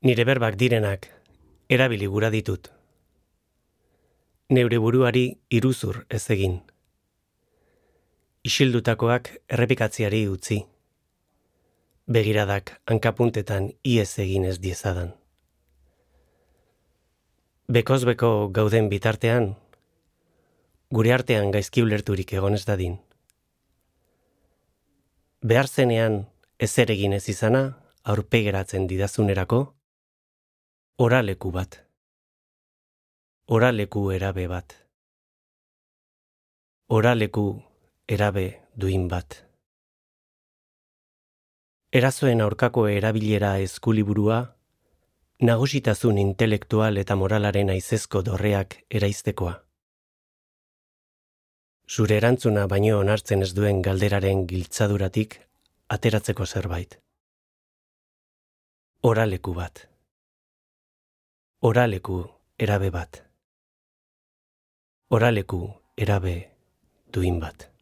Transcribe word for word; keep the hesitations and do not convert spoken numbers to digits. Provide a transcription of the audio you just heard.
Nire berbak direnak, erabili gura ditut. Neure buruari iruzur ez egin. Isildutakoak errepikatziari utzi. Begiradak hankapuntetan iez egin ez diezadan. Bekozbeko gauden bitartean, gure artean gaizki ulerturik egon ez dadin. Behar zenean ezer egin ez izana, aurpegeratzen didazunerako, oraleku bat. Oraleku erabe bat. Oraleku erabe duin bat. Erazoen aurkako erabilera eskuliburua, nagusitasun intelektual eta moralaren aizezko dorreak eraiztekoa. Zure erantzuna baino onartzen ez duen galderaren giltzaduratik ateratzeko zerbait. Oraleku bat. Oraleku erabe bat. Oraleku erabe duin bat.